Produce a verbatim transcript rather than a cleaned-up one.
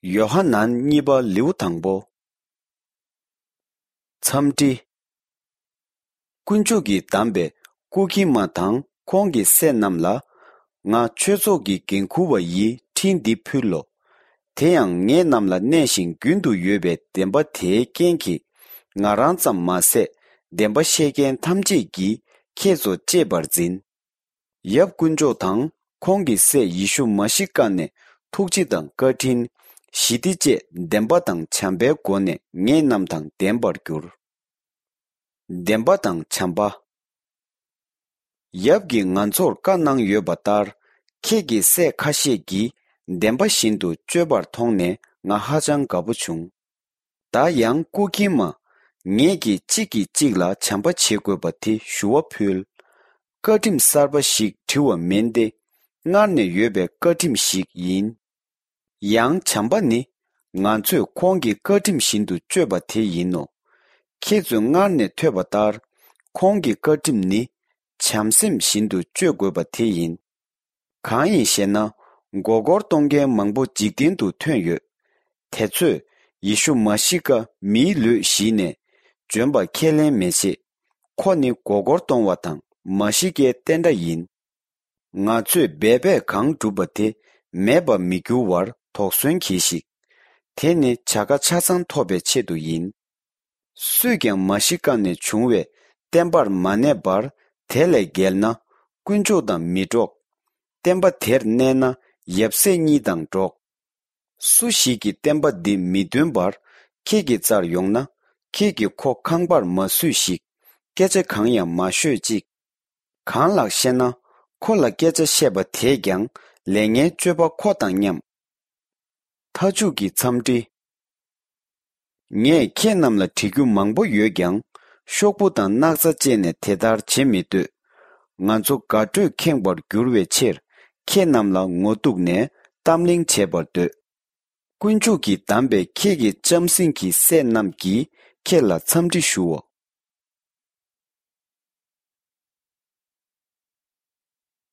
ཡོ་ཧ་ནན་གཉིས་པ་ལེའུ་དང་པོ། འཚམས་འདྲི། དཀོན་མཆོག་གིས་བདམས་པའི་སྐུ་ཁྱིམ་མ་དང་ཁོང་གི་སྲས་རྣམས་ལ། ང་ཆོས་ཚོགས་ཀྱི་འགན་འཁུར་བ་ཡིས་འཕྲིན་འདི་ཕུལ་ལོ། དེ་ཡང་ངེད་རྣམས་ལ་གནས་ཤིང་རྒྱུན་དུ་ཡོད་པའི་བདེན་པ་དེའི་རྐྱེན་གྱིས། ང་རང་ཙམ་མ་ཟད། བདེན་པ་བཤད་མཁན་ཐམས་ཅད་ཀྱིས་ཁྱེད་ཚོ་གཅེས་པར་འཛིན། ཡབ་དཀོན་མཆོག་དང་ཁོང་གི་སྲས་ཡེ་ཤུ་མ་ཤི་ཀ་ནས་ཐུགས་རྗེ་དང་བཀའ་དྲིན། ཞི་བདེ་བཅས་བདེན་པ་དང་བྱམས་པའི་སྒོ་ནས་ངེད་རྣམས་དང་ལྡན་པར་གྱུར། བདེན་པ་དང་བྱམས་པ། ཡབ་ཀྱིས་ང་ཚོར་བཀའ་གནང་ཡོད་པ་ལྟར། ཁྱེད་ཀྱི་སྲས་ཁ་ཤས་ཀྱིས་བདེན་པ་བཞིན་དུ་སྤྱོད་པར་མཐོང་ནས་ང་ཧ་ཅང་དགའ་པོ་བྱུང་། ད་ཡང་སྐུ་ཁྱིམ་མ། ངེད་ཀྱིས་གཅིག་གིས་གཅིག་ལ་བྱམས་པ་བྱེད་དགོས་པ་དེ་ཞུ་བ་ཕུལ། བཀའ་ཁྲིམས་གསར་པ་ཞིག་བྲི་བ་མིན་ཏེ། སྔར་ནས་ཡོད་པའི་བཀའ་ཁྲིམས་ཤིག་ཡིན། ཡང་བྱམས་པ་ནི། ང་ཚོས་ཁོང་གི་བཀའ་ཁྲིམས་བཞིན་དུ་སྤྱོད་པ་དེ་ཡིན་ནོ། ཁྱེད་ཚོས་སྔར་ནས་ཐོས་པ་ལྟར། ཁོང་གི་བཀའ་ཁྲིམས་ནི། བྱམས་སེམས་བཞིན་དུ་སྤྱོད་དགོས་པ་དེ་ཡིན། གང་ཡིན་ཞེ་ན། མགོ་སྐོར་གཏོང་མཁན་མང་པོ་འཇིག་རྟེན་དུ་ཐོན་ཡོད། དེ་ཚོས་ཡེ་ཤུ་མ་ཤི་ཀ་མིའི་ལུས་ཞིག་ནས་བྱོན་པ་ཁས་ལེན་མི་བྱེད། ཁོ་ནི་མགོ་སྐོར་གཏོང་བ་དང་མ་ཤི་ཀའི་བསྟན་དགྲ་ཡིན། ང་ཚོས་འབད་པས་གང་བསྒྲུབས་པ་དེ་མེད་པར་མི་འགྱུར་བར་དོགས་ཟོན་གྱིས་ཤིག། དེ་ནི་བྱ་དགའ་ཆ་ཚང་ཐོབ་པའི་ཆེད་དུ་ཡིན། སུས་ཀྱང་མ་ཤི་ཀ་ནས་བྱུང་བའི་བསྟན་པར་མ་གནས་པར་དེ་ལས་འགལ་ན། དཀོན་མཆོག་དང་མི་འགྲོགས། བསྟན་པ་དེར་གནས་ན་ཡབ་སྲས་གཉིས་དང་འགྲོགས། སུ་ཞིག་གིས་བསྟན་པ་འདི་མི་འདོན་པར་ཁྱེད་ཀྱི་རྩར་ཡོང་ན། ཁྱེད་ཀྱིས་ཁོ་ཁང་པར་མ་བསུས་ཤིག། སྐད་ཆ་གང་ཡང་མ་ཤོད་ཅིག། གང་ལགས་ཤེ་ན། ཁོ་ལ་སྐད་ཆ་བཤད་པ་དེས་ཀྱང་ལས་ངན་སྤྱོད་པ་ཁོ་དང་མཉམ། མཐའ་མཇུག་གི་འཚམས་འདྲི། ངས་ཁྱེད་རྣམས་ལ་བྲི་རྒྱུ་མང་པོ་ཡོད་ཀྱང་། ཤོག་བུ་དང་སྣག་ཚ་བཅད་ནས་དེ་ལྟར་བྱེད་མི་འདོད། ང་ཚོ་དགའ་སྤྲོས་ཁེངས་པར་འགྱུར་བའི་ཕྱིར། ཁྱེད་རྣམས་ལ་ངོ་གཏུགས་ནས་གཏམ་གླེང་བྱེད་པར་འདོད། དཀོན་མཆོག་གིས་བདམས་པའི་ཁྱེད་ཀྱི་ལྕམ་སྲིང་གི་སྲས་རྣམས་ཀྱིས་ཁྱེད་ལ་འཚམས་འདྲི་ཞུའོ།